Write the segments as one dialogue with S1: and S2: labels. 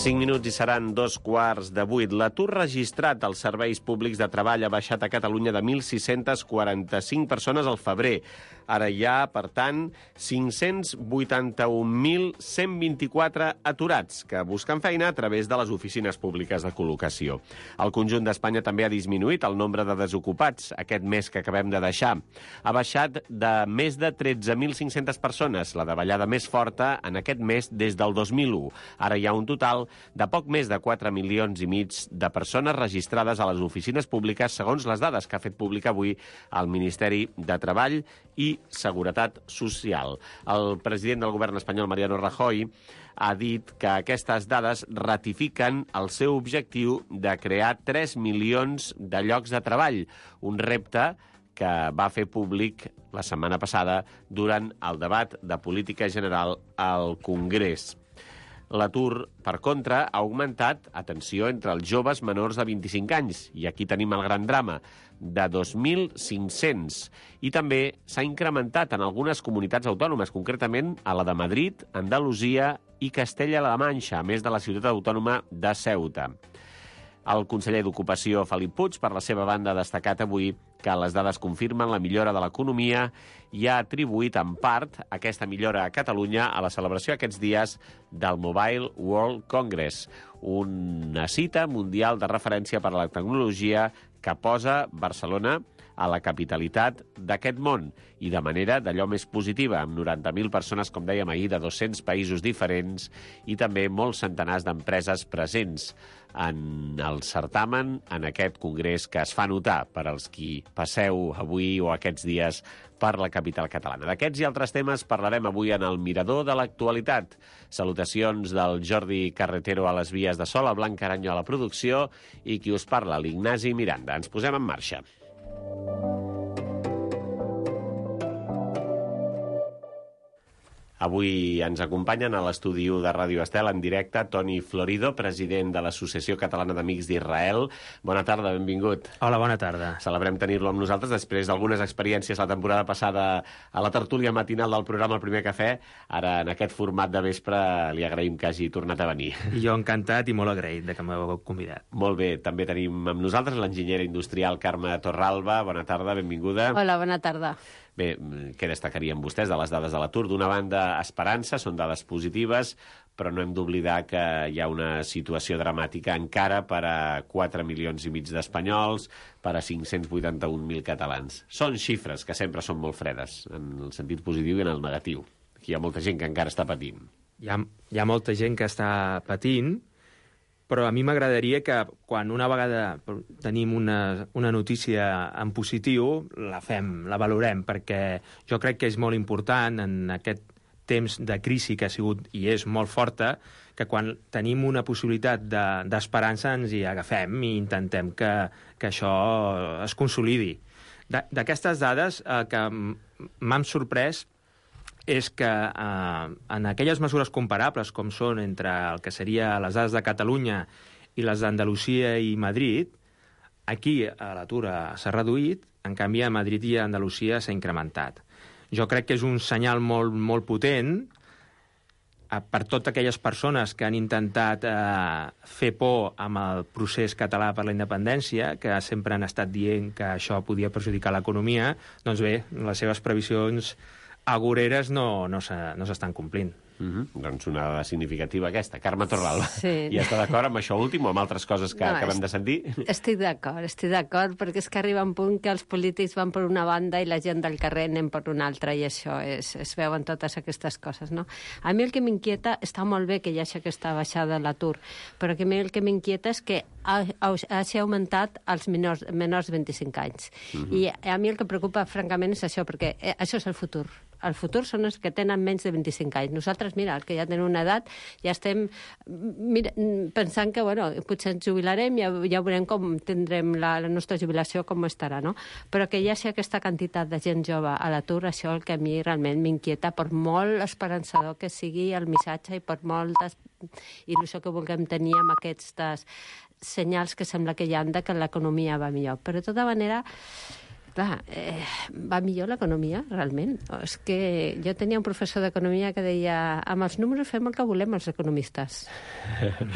S1: 5 minuts i seran 2:15. L'atur registrat als serveis públics de treball ha baixat a Catalunya de 1.645 persones al febrer. Ara hi ha, per tant, 581.124 aturats que busquen feina a través de les oficines públiques de col·locació. El conjunt d'Espanya també ha disminuït el nombre de desocupats aquest mes que acabem de deixar. Ha baixat de més de 13.500 persones, la davallada més forta en aquest mes des del 2001. Ara hi ha un total de poc més de 4 milions i mig de persones registrades a les oficines públiques, segons les dades que ha fet públic avui el Ministeri de Treball i Seguretat Social. El president del govern espanyol, Mariano Rajoy, ha dit que aquestes dades ratifiquen el seu objectiu de crear 3 milions de llocs de treball, un repte que va fer públic la setmana passada durant el debat de política general al Congrés. L'atur, per contra, ha augmentat, atenció, entre els joves menors de 25 anys, i aquí tenim el gran drama, de 2.500. I també s'ha incrementat en algunes comunitats autònomes, concretament a la de Madrid, Andalusia i Castella-La Manxa, a més de la ciutat autònoma de Ceuta. El conseller d'Ocupació, Felip Puig, per la seva banda, ha destacat avui que les dades confirmen la millora de l'economia i ha atribuït en part aquesta millora a Catalunya a la celebració aquests dies del Mobile World Congress, una cita mundial de referència per a la tecnologia que posa Barcelona a la capitalitat d'aquest món i de manera d'allò més positiva, amb 90.000 persones, com dèiem ahir, de 200 països diferents i també molts centenars d'empreses presents en el certamen, en aquest congrés que es fa notar per als qui passeu avui o aquests dies per la capital catalana. D'aquests i altres temes parlarem avui en el Mirador de l'actualitat. Salutacions del Jordi Carretero a les vies de so, la Blanca Aranyo a la producció i qui us parla, l'Ignasi Miranda. Ens posem en marxa. Avui ens acompanyen a l'estudi de Ràdio Estel en directe Toni Florido, president de l'Associació Catalana d'Amics d'Israel. Bona tarda, benvingut.
S2: Hola, bona tarda.
S1: Celebrem tenir-lo amb nosaltres després d'algunes experiències la temporada passada a la tertúlia matinal del programa El Primer Cafè. Ara, en aquest format de vespre, li agraïm que hagi tornat a venir.
S2: I jo encantat i molt agraït de que m'heu convidat.
S1: Molt bé, també tenim amb nosaltres l'enginyera industrial Carme Torralba. Bona tarda, benvinguda.
S3: Hola, bona tarda.
S1: Bé, què destacarien vostès de les dades de l'atur? D'una banda, esperança, són dades positives, però no hem d'oblidar que hi ha una situació dramàtica encara per a 4 milions i mig d'espanyols, per a 581.000 catalans. Són xifres que sempre són molt fredes, en el sentit positiu i en el negatiu. Aquí hi ha molta gent que encara està patint.
S2: Hi ha molta gent que està patint, però a mi m'agradaria que quan una vegada tenim una notícia en positiu, la valorem, perquè jo crec que és molt important en aquest temps de crisi que ha sigut i és molt forta, que quan tenim una possibilitat d'esperança ens hi agafem i intentem que això es consolidi. D'aquestes dades, el que m'han sorprès és que en aquelles mesures comparables com són entre el que seria les dades de Catalunya i les d'Andalusia i Madrid, aquí l'atur s'ha reduït, en canvi a Madrid i a Andalusia s'ha incrementat. Jo crec que és un senyal molt, molt potent per totes aquelles persones que han intentat fer por amb el procés català per la independència, que sempre han estat dient que això podia perjudicar l'economia. Doncs bé, les seves previsions agoreres no s'estan complint.
S1: Doncs una dada significativa aquesta. Carme Torralba,
S3: sí.
S1: I està d'acord amb això últim o amb altres coses que acabem de sentir?
S3: Estic d'acord, perquè és que arriba un punt que els polítics van per una banda i la gent del carrer anem per una altra, i això es veuen totes aquestes coses, no? A mi el que m'inquieta, està molt bé que hi hagi aquesta baixada de l'atur, però a mi el que m'inquieta és que hagi augmentat els menors de 25 anys. I a mi el que preocupa, francament, és això, perquè això és el futur. El futur són els que tenen menys de 25 anys. Nosaltres, mira, els que ja tenen una edat, ja estem pensant que, bueno, potser ens jubilarem, ja veurem com tindrem la nostra jubilació, com estarà, no? Però que hi hagi aquesta quantitat de gent jove a l'atur, això el que a mi realment m'inquieta, per molt esperançador que sigui el missatge i per molta il·lusió que vulguem tenir amb aquests senyals que sembla que hi ha de que l'economia va millor. Però de tota manera, Clar, va millor l'economia, realment. És que jo tenia un professor d'economia que deia amb els números fem el que volem els economistes.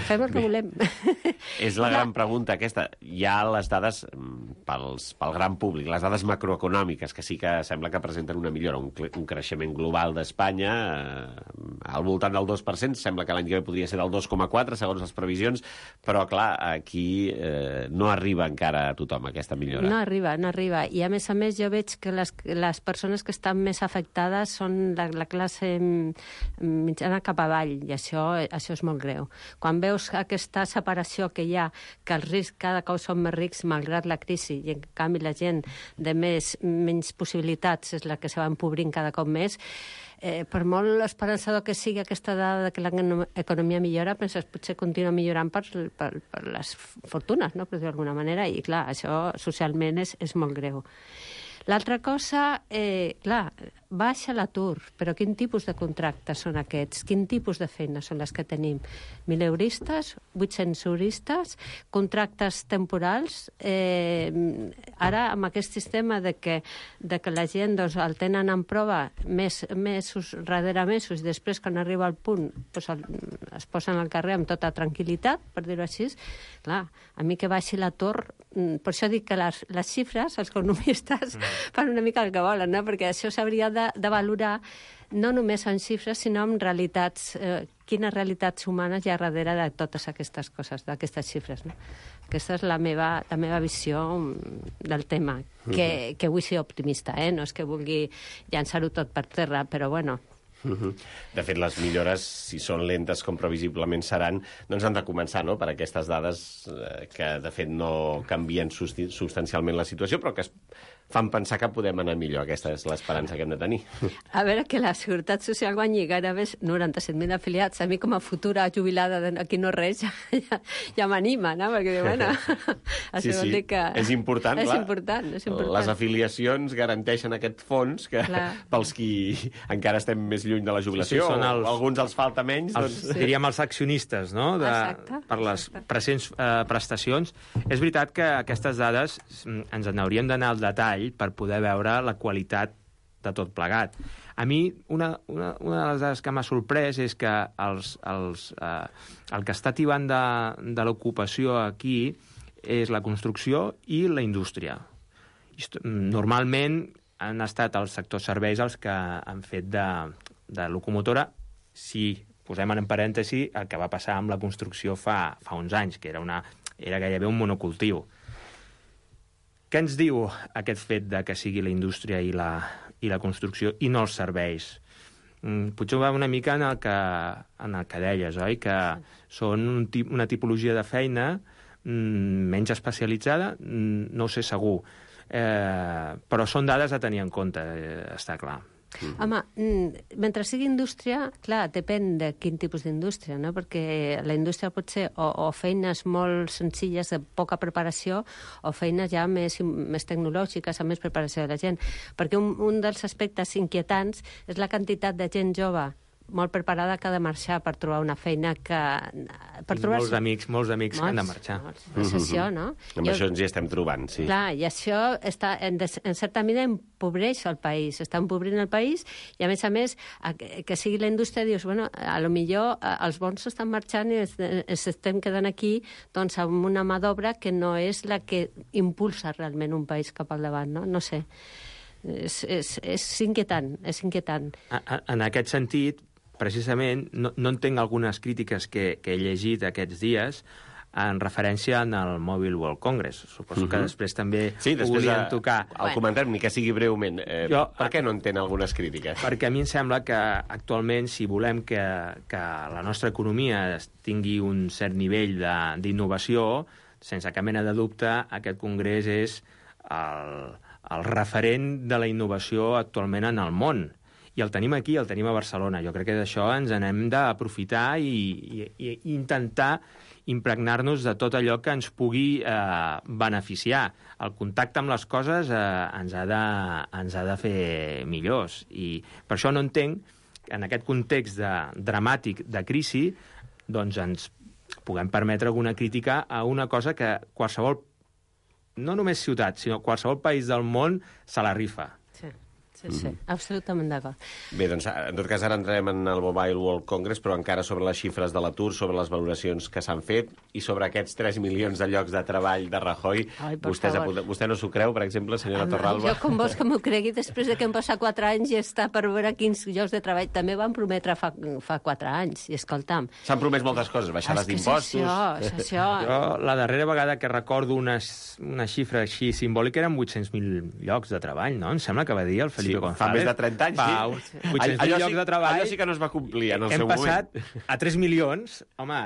S3: Fem el que volem.
S1: És la gran pregunta aquesta. Hi ha les dades pel gran públic, les dades macroeconòmiques, que sí que sembla que presenten una millora, un creixement global d'Espanya al voltant del 2%, sembla que l'any que ve podria ser del 2,4, segons les previsions, però, clar, aquí no arriba encara a tothom aquesta millora.
S3: No arriba. I a més, jo veig que les persones que estan més afectades són la classe mitjana cap avall, i això és molt greu. Quan veus aquesta separació que hi ha, que els rics cada cop són més rics malgrat la crisi, i en canvi la gent de menys possibilitats és la que se va empobrint cada cop més, per molt esperançador que sigui aquesta dada que l'economia millora, penses potser continua millorant per les fortunes, no? Per dir d'alguna manera, i clar, això socialment és molt greu. L'altra cosa, clar, baixa l'atur, però quin tipus de contractes són aquests? Quin tipus de feines són les que tenim? 1.000 euristes, 800 euristes, contractes temporals. Ara, amb aquest sistema de que la gent el tenen en prova mesos rere mesos, i després, quan arriba al punt, es posen al carrer amb tota tranquil·litat, per dir-ho així, clar, a mi que baixi l'atur, per això dic que les xifres, els economistes, fan una mica el que volen, no? Perquè això s'hauria de valorar no només en xifres, sinó en realitats, quines realitats humanes hi ha darrere de totes aquestes coses, d'aquestes xifres, no? Aquesta és la meva visió del tema, que vull ser optimista, no és que vulgui llançar-ho tot per terra, però bueno.
S1: De fet, les millores, si són lentes com previsiblement seran, doncs han de començar, no?, per aquestes dades que, de fet, no canvien substancialment la situació, però que es fan pensar que podem anar millor. Aquesta és l'esperança que hem de tenir.
S3: A veure, que la Seguretat Social guanyi gairebé 97.000 afiliats. A mi, com a futura jubilada d'aquí no res, ja m'anima, no? Perquè diu, bueno,
S1: sí, vol dir que... És important,
S3: és
S1: clar.
S3: important.
S1: Les afiliacions garanteixen aquest fons que pels qui encara estem més lluny de la jubilació, o alguns els falta menys, doncs...
S2: Diríem els accionistes, no?, per les presents prestacions. És veritat que aquestes dades ens n'hauríem d'anar al detall per poder veure la qualitat de tot plegat. A mi, una de les dades que m'ha sorprès és que el que està tibant de l'ocupació aquí és la construcció i la indústria. Normalment han estat els sectors serveis els que han fet de locomotora, si posem en parèntesi el que va passar amb la construcció fa uns anys, que era gairebé un monocultiu. Què ens diu aquest fet de que sigui la indústria i la construcció i no els serveis? Potser va una mica en el que deies, oi? Que són una tipologia de feina menys especialitzada, no ho sé segur. Però són dades a tenir en compte, està clar.
S3: Home, mentre sigui indústria, clar, depèn de quin tipus d'indústria, no? Perquè la indústria pot ser o feines molt senzilles de poca preparació o feines ja més tecnològiques, amb més preparació de la gent. Perquè un dels aspectes inquietants és la quantitat de gent jove molt preparada que ha de marxar per trobar una feina que...
S2: Molts amics que han de marxar.
S3: És això, no?
S1: Amb això ens hi estem trobant, sí.
S3: Clar, i això en certa manera empobreix el país, està empobrint el país, i a més, que sigui la indústria, dius, bueno, a lo millor els bons estan marxant i ens estem quedant aquí doncs amb una mà d'obra que no és la que impulsa realment un país cap al davant, no? No sé. És inquietant, és inquietant.
S2: En aquest sentit, precisament, no entenc algunes crítiques que he llegit aquests dies en referència al Mobile World Congress. Suposo que després també ho volien tocar.
S1: El comentem, ni que sigui breument. Per què no entén algunes crítiques?
S2: Perquè a mi em sembla que actualment, si volem que la nostra economia tingui un cert nivell d'innovació, sense cap mena de dubte, aquest congrés és el referent de la innovació actualment en el món. I el tenim aquí, el tenim a Barcelona. Jo crec que d'això ens n'hem d'aprofitar i intentar impregnar-nos de tot allò que ens pugui beneficiar. El contacte amb les coses ens ha de fer millors. I per això no entenc que en aquest context dramàtic de crisi doncs ens puguem permetre alguna crítica a una cosa que qualsevol no només ciutat, sinó qualsevol país del món se la rifa.
S3: Sí, absolutament d'acord.
S1: Bé, doncs, en tot cas, ara entrem en el Mobile World Congress, però encara sobre les xifres de l'atur, sobre les valoracions que s'han fet i sobre aquests 3 milions de llocs de treball de Rajoy. Vostè no s'ho creu, per exemple, senyora Torralba?
S3: Jo, com vols que m'ho cregui, després de que hem passat 4 anys i està per veure quins llocs de treball. També van prometre fa 4 anys, i escolta'm...
S1: S'han promès moltes coses, baixades d'impostos...
S3: És això.
S2: Jo, la darrera vegada que recordo una xifra així simbòlica eren 800.000 llocs de treball, no? Em sembla que va dir el Felipe González.
S1: Fa més de 30 anys,
S2: sí. 800.000 llocs de treball.
S1: Allò sí que no es va complir en el seu moment.
S2: Hem passat a 3 milions. Home,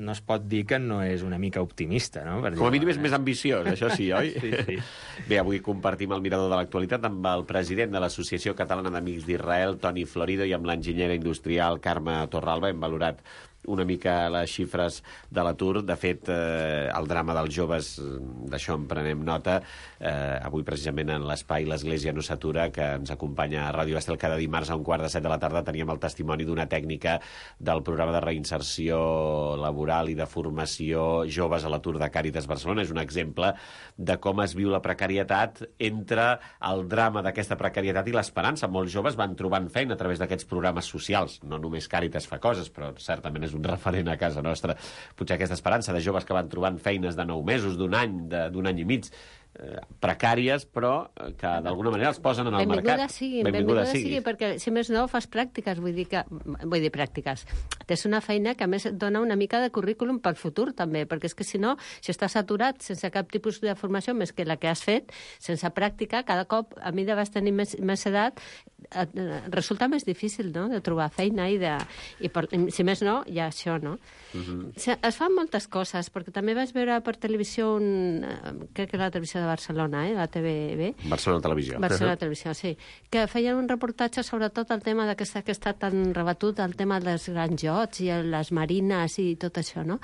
S2: no es pot dir que no és una mica optimista, no?
S1: Com a mínim és més ambiciós, això sí, oi?
S2: Sí.
S1: Bé, avui compartim el mirador de l'actualitat amb el president de l'Associació Catalana d'Amics d'Israel, Toni Florido, i amb l'enginyera industrial Carme Torralba. Hem valorat una mica les xifres de l'atur. De fet, el drama dels joves, d'això en prenem nota. Avui, precisament, en l'espai L'Església no s'atura, que ens acompanya a Ràdio Estel cada dimarts a 7:15 de la tarda, teníem el testimoni d'una tècnica del programa de reinserció laboral i de formació joves a l'atur de Càritas Barcelona. És un exemple de com es viu la precarietat entre el drama d'aquesta precarietat i l'esperança. Molts joves van trobant feina a través d'aquests programes socials. No només Càritas fa coses, però certament és un referent a casa nostra. Potser aquesta esperança de joves que van trobant feines de 9 mesos, d'un any i mig, precàries, però que d'alguna manera els posen en el mercat.
S3: Benvinguda sigui, perquè si més no fas pràctiques, vull dir pràctiques. És una feina que a més et dona una mica de currículum pel futur també, perquè és que si no, si estàs aturat sense cap tipus de formació més que la que has fet, sense pràctica, cada cop a mesura que vas tenir més edat resulta més difícil, no?, de trobar feina i si més no, hi ha això, no? Es fan moltes coses, perquè també vaig veure per televisió crec que la televisió de Barcelona, la TVB.
S1: Barcelona Televisió.
S3: Barcelona Televisió, sí. Que feien un reportatge sobretot el tema que està tan rebatut, el tema dels grans jocs i les marines i tot això, no?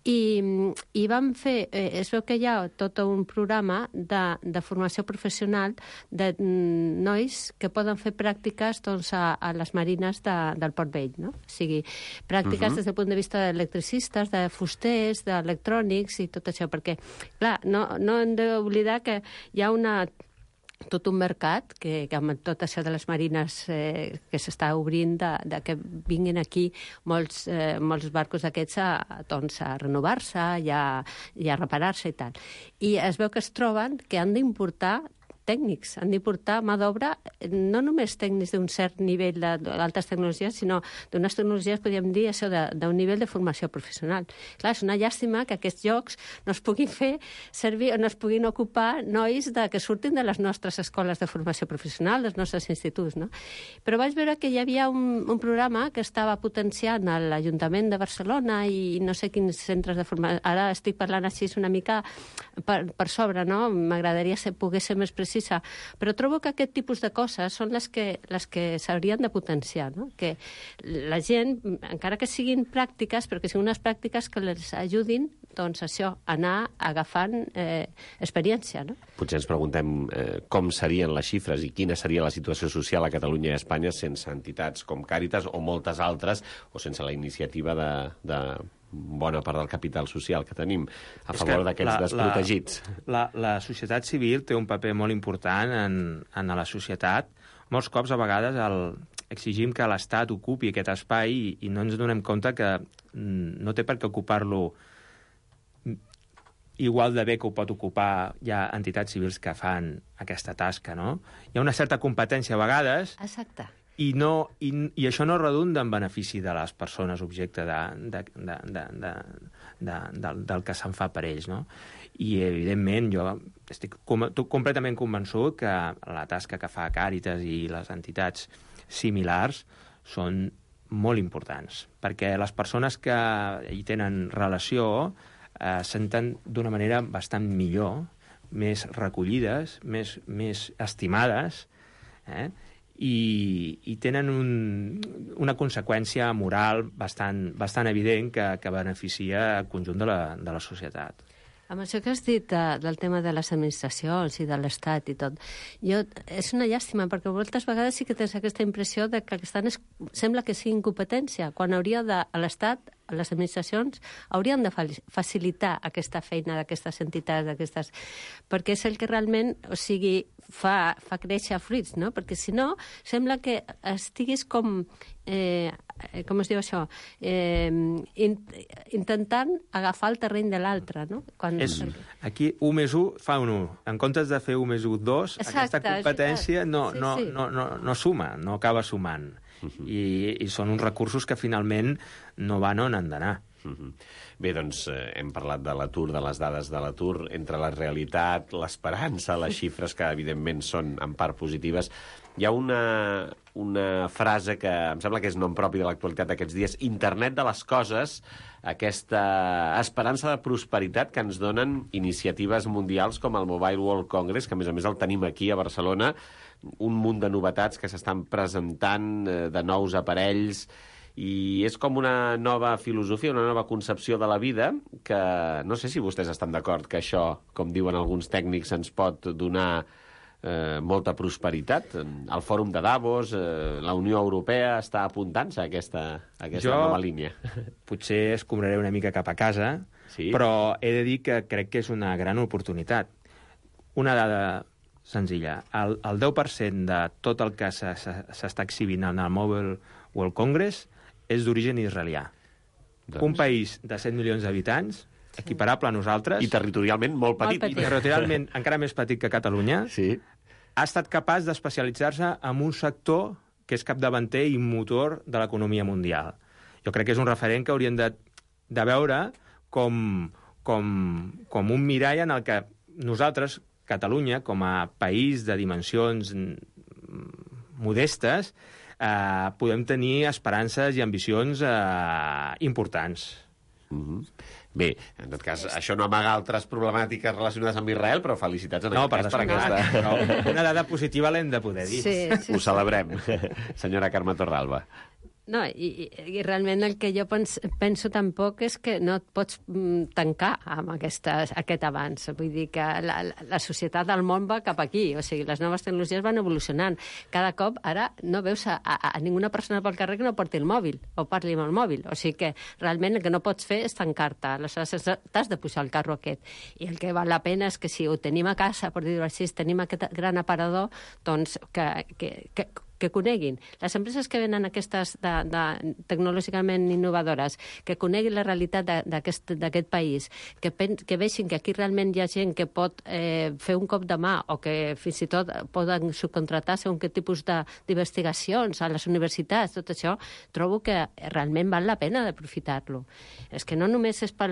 S3: I vam fer, es veu que hi ha tot un programa de formació professional de nois que poden fer pràctiques doncs, a les marines del Port Vell, no? O sigui, pràctiques des del punt de vista d'electricistes, de fusters, d'electrònics i tot això, perquè, clar, no hem d'oblidar que hi ha tot un mercat que amb tot això de les marines que s'està obrint de que vinguin aquí molts barcos d'aquests a renovar-se i a reparar-se i tal. I es veu que es troben que han d'importar tècnics, han d'importar mà d'obra, no només tècnics d'un cert nivell d'altes tecnologies, sinó d'unes tecnologies, podríem dir, això d'un nivell de formació professional. Clar, és una llàstima que aquests llocs no es puguin fer servir o no es puguin ocupar nois que surtin de les nostres escoles de formació professional, dels nostres instituts, no? Però vaig veure que hi havia un programa que estava potenciant l'Ajuntament de Barcelona i no sé quins centres de formació. Ara estic parlant així una mica per sobre, no? M'agradaria poder ser més precisa, però trobo que aquest tipus de coses són les que s'haurien de potenciar, no? Que la gent, encara que siguin pràctiques, però que siguin unes pràctiques que les ajudin, doncs això, anar agafant experiència, no?
S1: Potser ens preguntem com serien les xifres i quina seria la situació social a Catalunya i a Espanya sense entitats com Càritas o moltes altres, o sense la iniciativa de bona part del capital social que tenim a favor d'aquests desprotegits.
S2: La societat civil té un paper molt important en la societat. Molts cops, a vegades, exigim que l'Estat ocupi aquest espai i no ens donem compte que no té per què ocupar-lo igual de bé que ho pot ocupar ja entitats civils que fan aquesta tasca, no? Hi ha una certa competència a vegades.
S3: Exacte.
S2: I això no redunda en benefici de les persones objecte del que se'n fa per ells, no? I, evidentment, jo estic completament convençut que la tasca que fa Càritas i les entitats similars són molt importants, perquè les persones que hi tenen relació senten d'una manera bastant millor, més recollides, més estimades, i tenen una conseqüència moral bastant evident que beneficia el conjunt de la societat.
S3: Amb això que has dit del tema de les administracions i de l'Estat i tot, és una llàstima, perquè moltes vegades sí que tens aquesta impressió de que sembla que sigui incompetència, quan hauria de l'Estat les administracions haurien de facilitar aquesta feina d'aquestes entitats, perquè és el que realment, o sigui, fa créixer fruits, no? Perquè si no, sembla que estiguis com com es diu això? Intentant agafar el terreny de l'altre, no?
S2: Aquí 1 més 1 fa un 1. En comptes de fer 1 més 1, 2, aquesta competència no suma, no acaba sumant. I són uns recursos que finalment no van on han d'anar.
S1: Bé, doncs hem parlat de l'atur, de les dades de l'atur, entre la realitat, l'esperança, les xifres que evidentment són en part positives. Hi ha una frase que em sembla que és nom propi de l'actualitat d'aquests dies, Internet de les coses, aquesta esperança de prosperitat que ens donen iniciatives mundials com el Mobile World Congress, que a més el tenim aquí a Barcelona, un munt de novetats que s'estan presentant, de nous aparells, i és com una nova filosofia, una nova concepció de la vida, que no sé si vostès estan d'acord que això, com diuen alguns tècnics, ens pot donar molta prosperitat. El Fòrum de Davos, la Unió Europea està apuntant-se a aquesta nova línia.
S2: Potser escombraré una mica cap a casa, però he de dir que crec que és una gran oportunitat. Una dada senzilla. El 10% de tot el que s'està exhibint en el Mobile World Congress és d'origen israelià. Un país de 7 milions d'habitants, equiparable a nosaltres...
S1: I territorialment molt petit.
S2: I territorialment encara més petit que Catalunya, ha estat capaç d'especialitzar-se en un sector que és capdavanter i motor de l'economia mundial. Jo crec que és un referent que hauríem de veure com un mirall en el que nosaltres, Catalunya, com a país de dimensions modestes, podem tenir esperances i ambicions importants.
S1: Bé, en tot cas, això no amaga altres problemàtiques relacionades amb Israel, però felicitats en aquest cas per aquesta...
S2: Una dada positiva l'hem de poder dir.
S1: Ho celebrem. Senyora Carme Torralba.
S3: No, i realment el que jo penso tampoc és que no et pots tancar amb aquest avanç. Vull dir que la societat del món va cap aquí, o sigui, les noves tecnologies van evolucionant. Cada cop ara no veus a ninguna persona pel carrer que no porti el mòbil o parli amb el mòbil. O sigui que realment el que no pots fer és tancar-te. Aleshores t'has de pujar al carro aquest. I el que val la pena és que si ho tenim a casa, per dir-ho així, tenim aquest gran aparador, doncs que coneguin. Les empreses que venen aquestes tecnològicament innovadores, que coneguin la realitat d'aquest país, que vegin que aquí realment hi ha gent que pot fer un cop de mà o que fins i tot poden subcontratar segons quin tipus d'investigacions a les universitats, tot això, trobo que realment val la pena d'aprofitar-lo. És que no només és per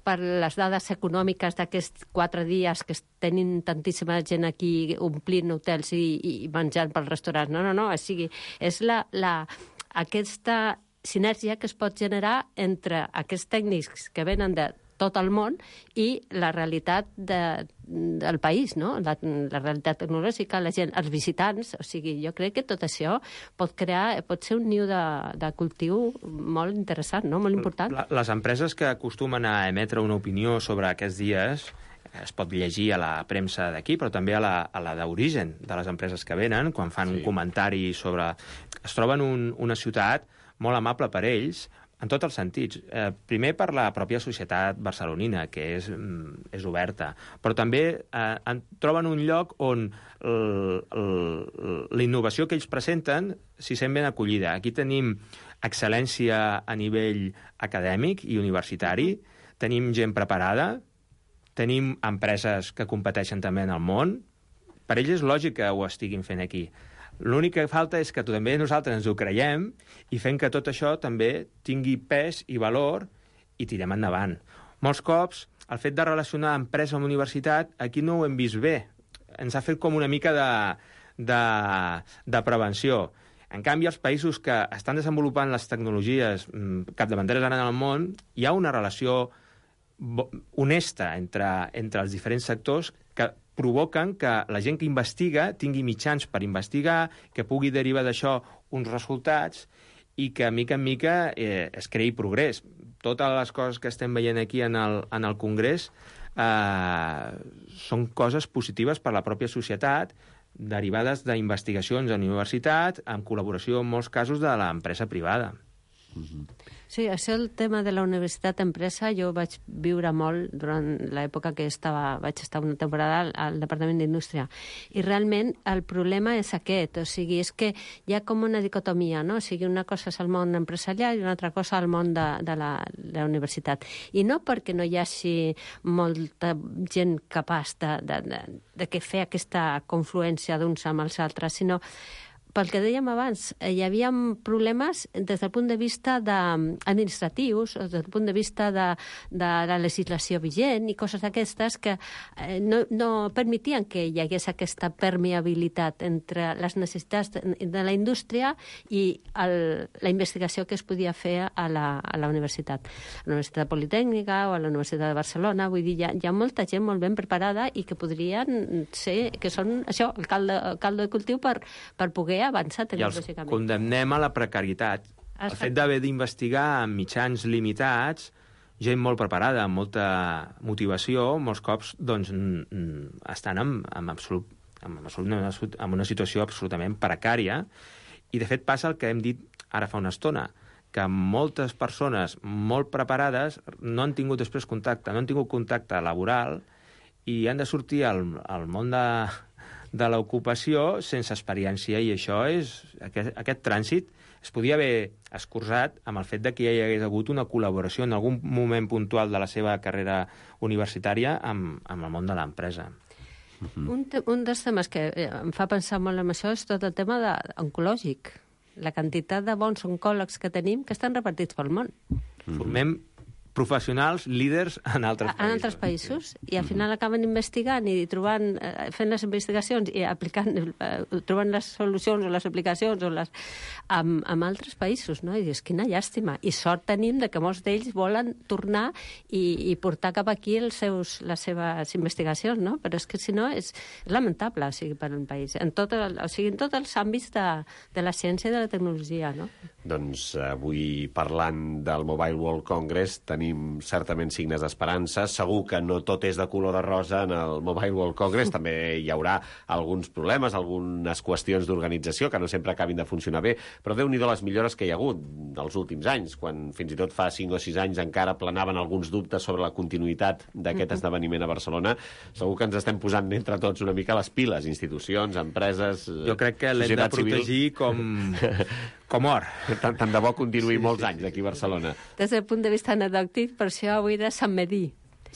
S3: les dades econòmiques d'aquests 4 dies que tenim tantíssima gent aquí omplint hotels i menjant pels restaurants. No. O sigui, és aquesta sinergia que es pot generar entre aquests tècnics que venen de tot el món i la realitat del país, no? La realitat tecnològica, la gent, els visitants. O sigui, jo crec que tot això pot ser un niu de cultiu molt interessant, no? Molt important.
S2: Les empreses que acostumen a emetre una opinió sobre aquests dies es pot llegir a la premsa d'aquí, però també a la d'origen de les empreses que venen, quan fan un comentari sobre... Es troben una ciutat molt amable per ells, en tots els sentits. Primer per la pròpia societat barcelonina, que és oberta, però també troben un lloc on la innovació que ells presenten s'hi sent ben acollida. Aquí tenim excel·lència a nivell acadèmic i universitari, tenim gent preparada, tenim empreses que competeixen també en el món. Per ells és lògic que ho estiguin fent aquí. L'únic que falta és que també nosaltres ens ho creiem i fem que tot això també tingui pes i valor i tirem endavant. Molts cops, el fet de relacionar empresa amb universitat, aquí no ho hem vist bé. Ens ha fet com una mica de prevenció. En canvi, els països que estan desenvolupant les tecnologies capdavanteres ara en el món, hi ha una relació honesta entre els diferents sectors que provoquen que la gent que investiga tingui mitjans per investigar, que pugui derivar d'això uns resultats i que, mica en mica, es creï progrés. Totes les coses que estem veient aquí en el Congrés són coses positives per a la pròpia societat, derivades d'investigacions a la universitat, en col·laboració, en molts casos, de l'empresa privada.
S3: Sí, això el tema de la universitat empresa jo vaig viure molt durant l'època que vaig estar una temporada al Departament d'Indústria. I realment el problema és aquest, o sigui, és que hi ha com una dicotomia, no? O sigui, una cosa és el món empresarial i una altra cosa el món de la universitat. I no perquè no hi hagi molta gent capaç de fer aquesta confluència d'uns amb els altres, sinó pel que dèiem abans, hi havia problemes des del punt de vista administratius, des del punt de vista de la legislació vigent i coses d'aquestes que no permetien que hi hagués aquesta permeabilitat entre les necessitats de la indústria i la investigació que es podia fer a la universitat. A la Universitat Politècnica o a la Universitat de Barcelona, vull dir, hi ha molta gent molt ben preparada i que podrien ser, que són això, el caldo de cultiu per poder avançar tecnològicament.
S2: I els condemnem a la precarietat. El fet d'haver d'investigar amb mitjans limitats, gent molt preparada, amb molta motivació, molts cops doncs, estan en una situació absolutament precària. I, de fet, passa el que hem dit ara fa una estona, que moltes persones molt preparades no han tingut després contacte, no han tingut contacte laboral i han de sortir al món de l'ocupació sense experiència, i això és... Aquest trànsit es podia haver escurçat amb el fet de que hi hagués hagut una col·laboració en algun moment puntual de la seva carrera universitària amb el món de l'empresa.
S3: Un dels temes que em fa pensar molt en això és tot el tema oncològic. La quantitat de bons oncòlegs que tenim que estan repartits pel món.
S2: Formem professionals líders en altres països.
S3: En altres països, i al final acaben investigant i trobant, fent les investigacions i aplicant, trobant les solucions o les aplicacions amb altres països, no? I dius, quina llàstima. I sort tenim de que molts d'ells volen tornar i portar cap aquí les seves investigacions, no? Però és que si no és lamentable, o sigui, per un país. En tots els àmbits de la ciència i de la tecnologia, no?
S1: Doncs avui, parlant del Mobile World Congress, tenim certament signes d'esperança. Segur que no tot és de color de rosa en el Mobile World Congress. També hi haurà alguns problemes, algunes qüestions d'organització que no sempre acabin de funcionar bé, però Déu-n'hi-do les millores que hi ha hagut dels últims anys, quan fins i tot fa 5 o 6 anys encara planaven alguns dubtes sobre la continuïtat d'aquest esdeveniment a Barcelona. Segur que ens estem posant entre tots una mica les piles, institucions, empreses,
S2: jo crec que l'hem de protegir com or.
S1: Tant de bo continuï molts anys aquí a Barcelona.
S3: Des del punt de vista anecdòtic, per això avui de Sant Medí.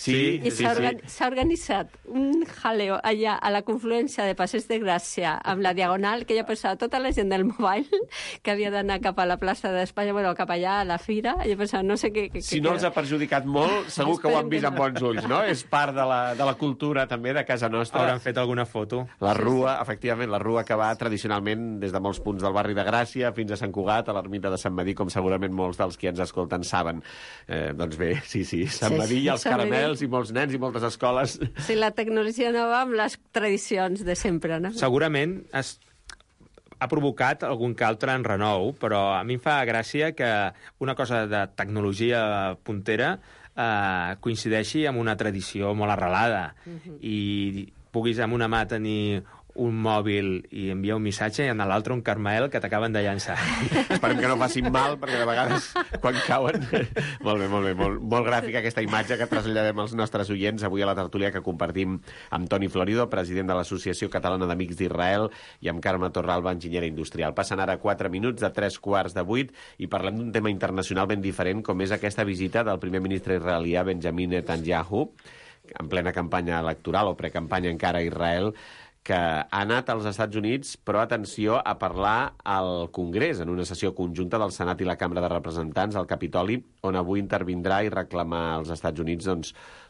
S1: Sí.
S3: S'ha organitzat un jaleo allà a la confluència de Passeig de Gràcia amb la Diagonal, que ja pensava tota la gent del mobile que havia d'anar cap a la plaça d'Espanya, bueno, cap allà a la fira, jo pensava, no sé què...
S1: Si no els ha perjudicat molt, segur que ho han vist amb bons ulls, no? És part de la cultura, també, de casa nostra.
S2: Hauran fet alguna foto.
S1: La rua, efectivament, la rua que va tradicionalment des de molts punts del barri de Gràcia fins a Sant Cugat, a l'ermita de Sant Medí, com segurament molts dels que ens escolten saben. Doncs bé, sí, Sant Medí i els caramels i molts nens i moltes escoles.
S3: Sí, la tecnologia no va amb les tradicions de sempre, no?
S2: Segurament ha provocat algun que altre enrenou, però a mi em fa gràcia que una cosa de tecnologia puntera coincideixi amb una tradició molt arrelada i puguis amb una mà tenir un mòbil i enviar un missatge i en l'altre un Carmel que t'acaben de llançar.
S1: Esperem que no facin mal, perquè de vegades quan cauen... Molt bé. Molt gràfica aquesta imatge que traslladem als nostres oients avui a la tertúlia que compartim amb Toni Florido, president de l'Associació Catalana d'Amics d'Israel, i amb Carme Torralba, enginyera industrial. Passen ara 4 minuts de 3:15 i parlem d'un tema internacional ben diferent, com és aquesta visita del primer ministre israelià Benjamin Netanyahu, en plena campanya electoral o precampanya encara a Israel, que ha anat als Estats Units, però atenció, a parlar al Congrés, en una sessió conjunta del Senat i la Cambra de Representants al Capitoli, on avui intervindrà i reclamar als Estats Units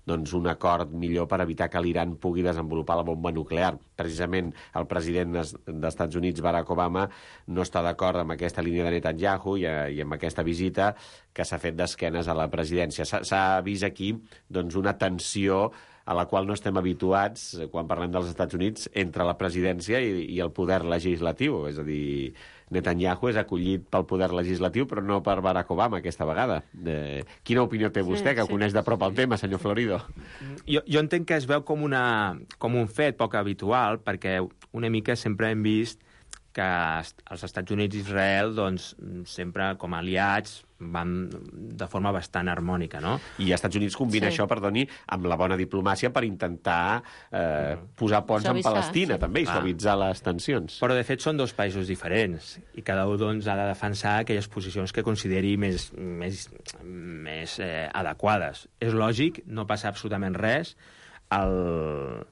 S1: doncs un acord millor per evitar que l'Iran pugui desenvolupar la bomba nuclear. Precisament el president dels Estats Units, Barack Obama, no està d'acord amb aquesta línia de Netanyahu i amb aquesta visita que s'ha fet d'esquenes a la presidència. S'ha vist aquí doncs, una tensió a la qual no estem habituats quan parlem dels Estats Units entre la presidència i el poder legislatiu. És a dir, Netanyahu és acollit pel poder legislatiu, però no per Barack Obama aquesta vegada. Quina opinió té vostè, que coneix de prop el tema, senyor Florido?
S2: Jo entenc que es veu com un fet poc habitual, perquè una mica sempre hem vist que els Estats Units i Israel doncs, sempre com a aliats van de forma bastant harmònica, no?
S1: I els Estats Units combina això, perdoni, amb la bona diplomàcia per intentar posar ponts amb Palestina, també, i suavitzar les tensions.
S2: Però, de fet, són dos països diferents, i cada un doncs, ha de defensar aquelles posicions que consideri més adequades. És lògic, no passa absolutament res. El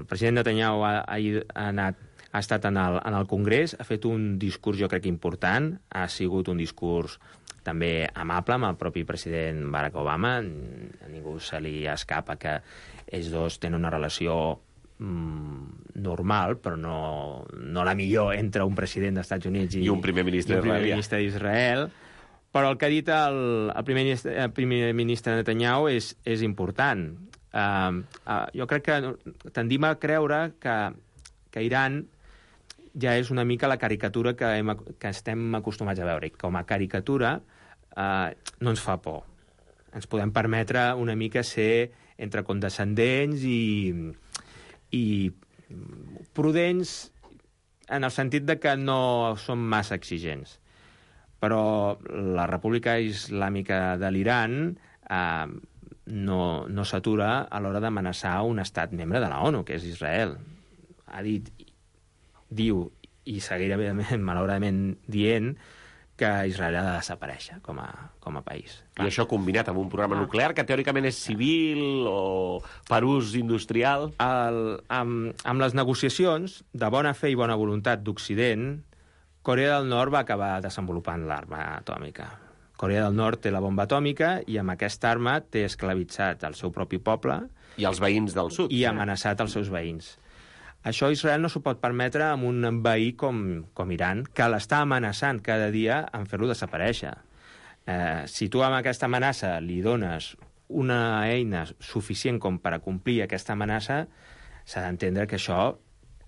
S2: president Netanyahu ha estat en el Congrés, ha fet un discurs, jo crec, important, ha sigut un discurs també amable amb el propi president Barack Obama. A ningú se li escapa que ells dos tenen una relació normal, però no la millor entre un president dels Estats Units i un primer ministre d'Israel. Però el que ha dit el primer ministre Netanyahu és important. Jo crec que tendim a creure que Iran ja és una mica la caricatura que estem acostumats a veure. I com a caricatura no ens fa por. Ens podem permetre una mica ser entre condescendents i prudents en el sentit de que no som massa exigents. Però la República Islàmica de l'Iran no s'atura a l'hora d'amenaçar un estat membre de la ONU, que és Israel. Diu, i seguirà malauradament dient, que Israel ha de desaparèixer com a país.
S1: I això combinat amb un programa nuclear que teòricament és civil o per ús industrial?
S2: Amb les negociacions de bona fe i bona voluntat d'Occident, Corea del Nord va acabar desenvolupant l'arma atòmica. Corea del Nord té la bomba atòmica i amb aquesta arma té esclavitzat el seu propi poble
S1: i els veïns del sud.
S2: I amenaçat els seus veïns. Això Israel no s'ho pot permetre amb un veí com Iran, que l'està amenaçant cada dia en fer-lo desaparèixer. Si tu amb aquesta amenaça li dones una eina suficient com per a complir aquesta amenaça, s'ha d'entendre que això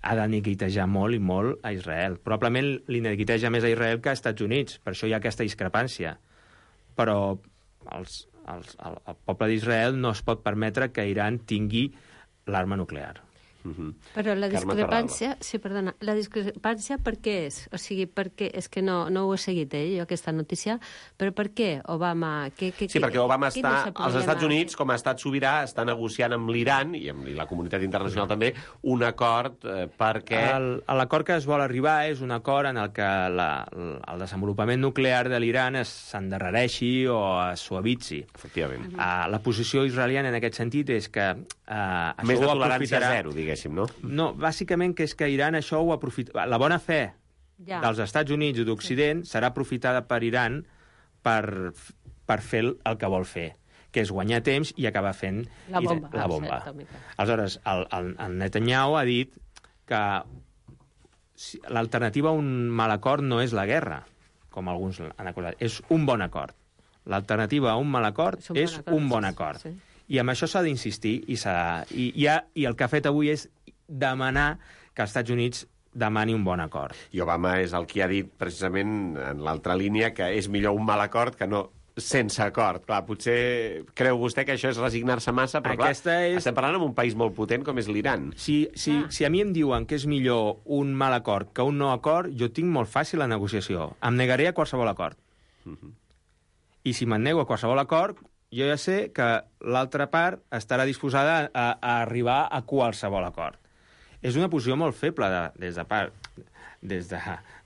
S2: ha de neguitejar molt i molt a Israel. Probablement li neguiteja més a Israel que als Estats Units, per això hi ha aquesta discrepància. Però el poble d'Israel no es pot permetre que Iran tingui l'arma nuclear.
S3: Però la discrepància... Sí, perdona. La discrepància per què és? O sigui, perquè és que no ho he seguit, jo, aquesta notícia, però per què Obama...
S1: Sí, perquè Obama està... als Estats Units, com a estat sobirà, està negociant amb l'Iran, i amb la comunitat internacional també, un acord perquè...
S2: L'acord que es vol arribar és un acord en el que el desenvolupament nuclear de l'Iran s'endarrereixi o es suavitzi.
S1: Efectivament.
S2: La posició israeliana en aquest sentit és que...
S1: Més de tolerància zero, diguéssim, no?
S2: No, bàsicament que és que Iran això ho aprofita... La bona fe dels Estats Units i d'Occident serà aprofitada per Iran per fer el que vol fer, que és guanyar temps i acabar fent
S3: la bomba.
S2: Aleshores, el Netanyahu ha dit que l'alternativa a un mal acord no és la guerra, com alguns han acusat, és un bon acord. L'alternativa a un mal acord és un bon acord. Sí. I amb això s'ha d'insistir i el que ha fet avui és demanar que els Estats Units demani un bon acord.
S1: I Obama és el qui ha dit precisament en l'altra línia que és millor un mal acord que no sense acord. Clar, potser creu vostè que això és resignar-se massa, però estem parlant amb un país molt potent com és l'Iran.
S2: Si a mi em diuen que és millor un mal acord que un no acord, jo tinc molt fàcil la negociació. Em negaré a qualsevol acord. I si me'n nego a qualsevol acord, jo ja sé que l'altra part estarà disposada a arribar a qualsevol acord. És una posició molt feble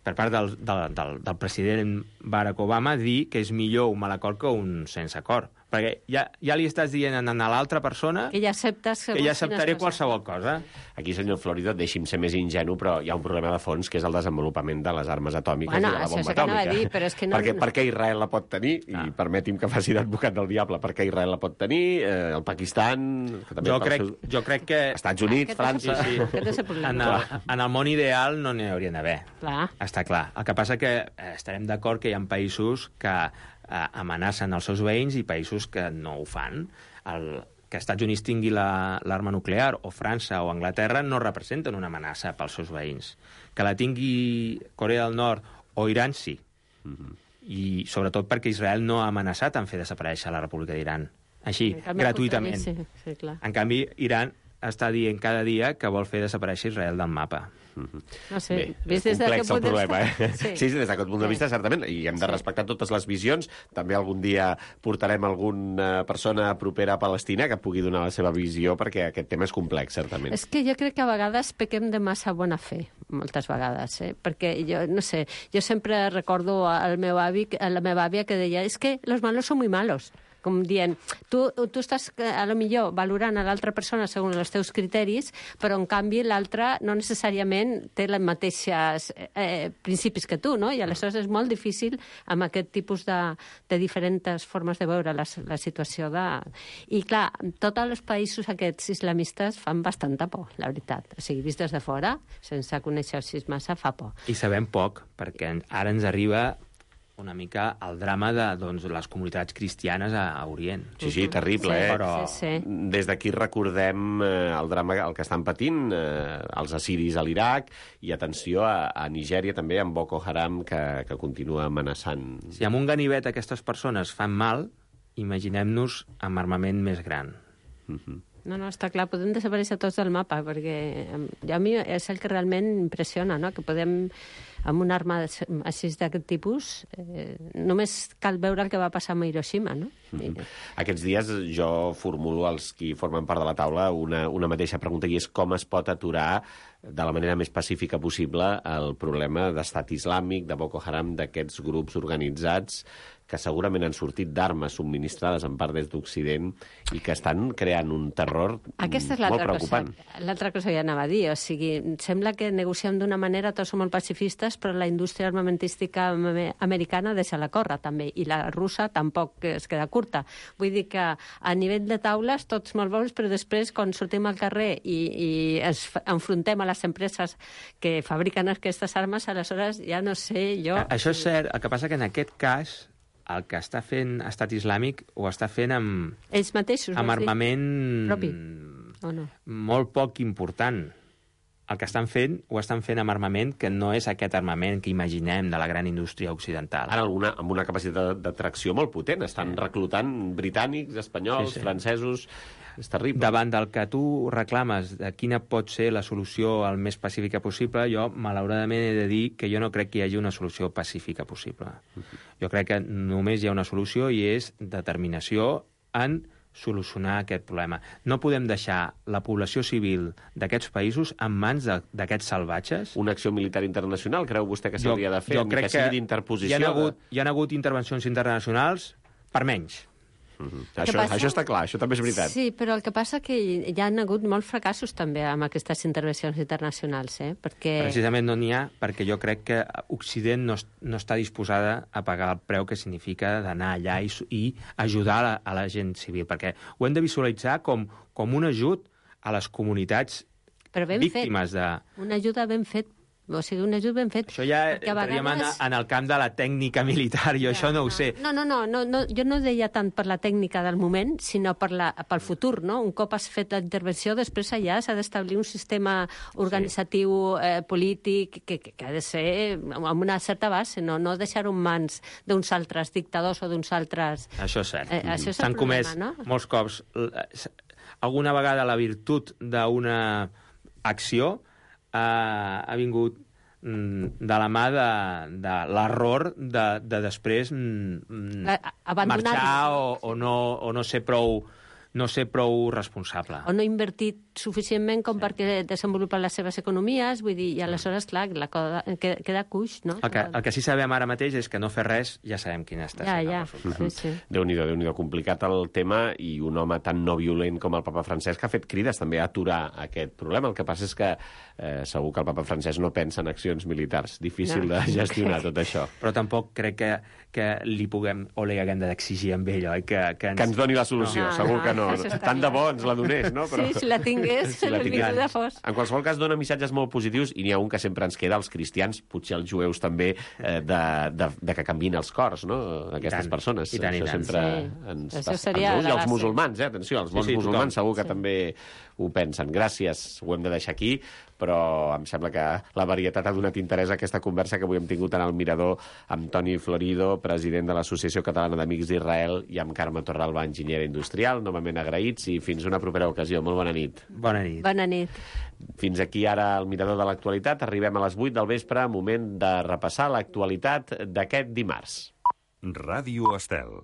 S2: per part del president Barack Obama dir que és millor un mal acord que un sense acord. Perquè ja li estàs dient a l'altra persona
S3: que ja acceptaré
S2: qualsevol cosa.
S1: Aquí, senyor Florido, deixi'm ser més ingenu, però hi ha un problema de fons, que és el desenvolupament de les armes atòmiques i de la bomba atòmica.
S3: Però és que no...
S1: Per què Israel la pot tenir? I permeti'm que faci d'advocat del diable. Per què Israel la pot tenir? El Pakistan...
S2: Jo crec que...
S1: Estats Units, França...
S2: En el món ideal no n'hi haurien d'haver. Està clar. El que passa que estarem d'acord que hi ha països que amenacen els seus veïns i països que no ho fan. Que Estats Units tingui l'arma nuclear, o França o Anglaterra, no representen una amenaça pels seus veïns. Que la tingui Corea del Nord o Iran, sí. I sobretot perquè Israel no ha amenaçat en fer desaparèixer la República d'Iran. Així, gratuïtament.
S3: Sí, clar.
S2: En canvi, Iran està dient cada dia que vol fer desaparèixer Israel del mapa.
S3: No sé,
S1: Bé,
S3: vist des d'aquest
S1: complex el
S3: punt de
S1: problema,
S3: vista...
S1: Sí, des d'aquest punt de vista, certament, i hem de respectar totes les visions. També algun dia portarem alguna persona propera a Palestina que pugui donar la seva visió, perquè aquest tema és complex, certament.
S3: És que jo crec que a vegades pequem de massa bona fe, moltes vegades, perquè jo, no sé, jo sempre recordo al meu avi, a la meva àvia, que deia, és que los malos son muy malos. Com dient, tu estàs, a lo millor, valorant a l'altra persona segons els teus criteris, però, en canvi, l'altra no necessàriament té les mateixes principis que tu, no? I aleshores és molt difícil amb aquest tipus de diferents formes de veure la situació de... I, clar, tots els països aquests islamistes fan bastanta por, la veritat. O sigui, vist des de fora, sense conèixer-s'hi massa, fa por.
S2: I sabem poc, perquè ara ens arriba una mica el drama de les comunitats cristianes a Orient.
S1: Sí, terrible,
S3: sí,
S1: Però des d'aquí recordem el drama, el que estan patint els assiris a l'Iraq, i atenció a Nigèria també, amb Boko Haram, que continua amenaçant.
S2: Si amb un ganivet aquestes persones fan mal, imaginem-nos amb armament més gran.
S3: No, està clar, podem desaparèixer tots del mapa, perquè a mi és el que realment impressiona, no? Que podem, amb una arma així d'aquest tipus, només cal veure el que va passar a Hiroshima, no?
S1: Aquests dies jo formulo als qui formen part de la taula una mateixa pregunta, i és com es pot aturar de la manera més pacífica possible el problema d'estat islàmic, de Boko Haram, d'aquests grups organitzats que segurament han sortit d'armes subministrades en part des d'Occident i que estan creant un terror molt preocupant.
S3: L'altra cosa que anava a dir, o sigui, sembla que negociem d'una manera, tots som molt pacifistes, però la indústria armamentística americana deixa la córrer, també, i la russa tampoc es queda curta. Vull dir que a nivell de taules tots molt bons, però després, quan sortim al carrer i ens enfrontem a les empreses que fabriquen aquestes armes, aleshores ja no sé jo...
S2: Això és cert, el que passa que en aquest cas el que està fent Estat Islàmic ho està fent amb...
S3: Ells mateixos,
S2: amb armament
S3: propi, o no?
S2: Molt poc important. El que estan fent, ho estan fent amb armament que no és aquest armament que imaginem de la gran indústria occidental.
S1: Ara amb una capacitat d'atracció molt potent. Estan reclutant britànics, espanyols, francesos... És terrible.
S2: Davant del que tu reclames de quina pot ser la solució el més pacífica possible, jo, malauradament, he de dir que jo no crec que hi hagi una solució pacífica possible. Jo crec que només hi ha una solució, i és determinació en solucionar aquest problema. No podem deixar la població civil d'aquests països en mans d'aquests salvatges.
S1: Una acció militar internacional, creu vostè que s'hauria de fer?
S2: Jo crec que hi ha hagut intervencions internacionals per menys.
S1: Això està clar, això també és veritat.
S3: Sí, però el que passa que hi ha hagut molts fracassos també amb aquestes intervencions internacionals, perquè...
S2: Precisament no n'hi ha, perquè jo crec que Occident no està disposada a pagar el preu que significa d'anar allà i ajudar a la gent civil, perquè ho hem de visualitzar com un ajut a les comunitats víctimes de...
S3: Una ajuda ben fet. O sigui, un ajut ben fet.
S2: Això ja entraríem en el camp de la tècnica militar, jo això no ho sé.
S3: No, jo no deia tant per la tècnica del moment, sinó pel futur, no? Un cop has fet la intervenció, després allà s'ha d'establir un sistema organitzatiu, polític, que ha de ser amb una certa base, no deixar-ho en mans d'uns altres dictadors o d'uns altres...
S2: Això és cert.
S3: Això és el
S2: S'han comès molts cops. Alguna vegada la virtut d'una acció ha vingut de la mà de l'error de després marxar o no ser prou responsable.
S3: O no invertit suficientment com perquè desenvolupen les seves economies, vull dir, i aleshores, clar, la cosa queda cuix, no?
S2: El que sí sabem ara mateix és que no fer res ja sabem quin està sent el resultat.
S3: Sí.
S1: Déu-n'hi-do, complicat el tema, i un home tan no violent com el papa Francesc ha fet crides també a aturar aquest problema. El que passa és que segur que el papa Francesc no pensa en accions militars. Difícil de gestionar tot això.
S2: Però tampoc crec que li puguem o li haguem d'exigir amb ell, oi? Que
S1: ens doni la solució, segur que no. Tant de bo ens la donés, no?
S3: Sí, si la tingués, benvinguda fos.
S1: En qualsevol cas, dona missatges molt positius, i n'hi ha un que sempre ens queda, els cristians, potser els jueus també, de que canviïn els cors, no?, d'aquestes persones.
S2: I tant.
S1: Això sempre ens passa. I els musulmans, atenció, els bons musulmans segur que també ho pensen. Gràcies, ho hem de deixar aquí. però em sembla que la varietat ha donat interès a aquesta conversa que avui hem tingut en el Mirador amb Toni Florido, president de l'Associació Catalana d'Amics d'Israel, i amb Carme Torralba, enginyera industrial. Novament agraïts i fins una propera ocasió. Molt bona nit.
S2: Bona nit.
S3: Bona nit.
S1: Fins aquí ara el Mirador de l'actualitat. Arribem a les 8 del vespre, moment de repassar l'actualitat d'aquest dimarts.
S4: Ràdio Estel.